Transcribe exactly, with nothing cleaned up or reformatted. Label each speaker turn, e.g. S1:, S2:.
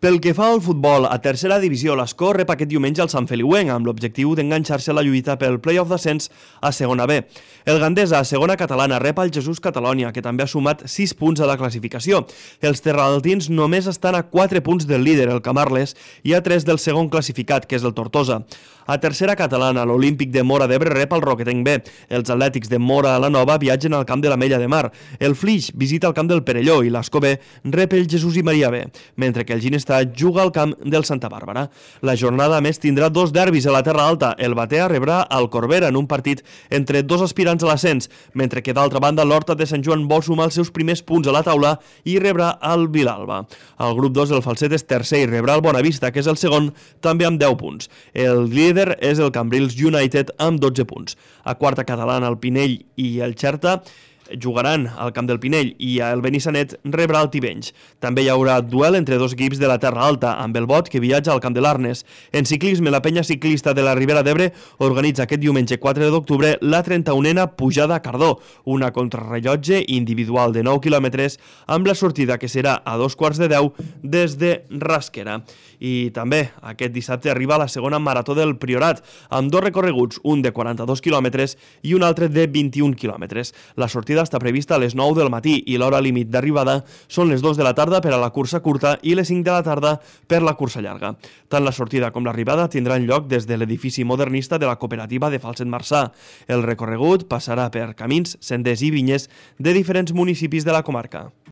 S1: Pel que fa al futbol, a tercera divisió, l'Escó rep aquest diumenge al Sant Feliuenc amb l'objectiu d'enganxar-se a la lluita pel play-off d'ascens a segona B. El Gandesa, a segona catalana, rep al Jesús Catalònia, que també ha sumat sis punts a la classificació. Els terraltins només estan a quatre punts del líder, el Camarles, i a tres del segon classificat, que és el Tortosa. A tercera catalana, l'Olímpic de Móra d'Ebre rep al Roquetenc B. Els atlètics de Móra a la Nova viatgen al camp de l'Ametlla de Mar. El Flix visita el camp del Perelló i l'Escó B rep el Jesús i Maria B, mentre que el Ginestar juga al camp del Santa Bàrbara. La jornada a més tindrà dos derbis a la Terra Alta. El Batea rebrà al Corbera en un partit entre dos aspirants a l'ascens, mentre que d'altra banda l'Horta de Sant Joan vol sumar els seus primers punts a la taula i rebrà el Vilalba. Al grup dos el Falset és tercer i rebrà el Bonavista, que és el segon, també amb deu punts. El líder és el Cambrils United amb dotze punts. A quarta catalana el Pinell i el Xerta jugaran al camp del Pinell i el Benissanet rebrà el Tivenys. També hi haurà duel entre dos equips de la Terra Alta, amb el Bot, que viatja al camp de l'Arnes. En ciclisme, la penya ciclista de la Ribera d'Ebre organitza aquest diumenge quatre d'octubre la trenta-unena pujada a Cardó, una contrarrellotge individual de nou quilòmetres amb la sortida que serà a dos quarts de deu des de Rasquera. I també aquest dissabte arriba la segona marató del Priorat, amb dos recorreguts, un de quaranta-dos quilòmetres i un altre de vint-i-un quilòmetres. La sortida està prevista a les nou del matí i l'hora límit d'arribada són les dues de la tarda per a la cursa curta i les cinc de la tarda per la cursa llarga. Tant la sortida com l'arribada tindran lloc des de l'edifici modernista de la cooperativa de Falset Marçà. El recorregut passarà per camins, senders i vinyes de diferents municipis de la comarca.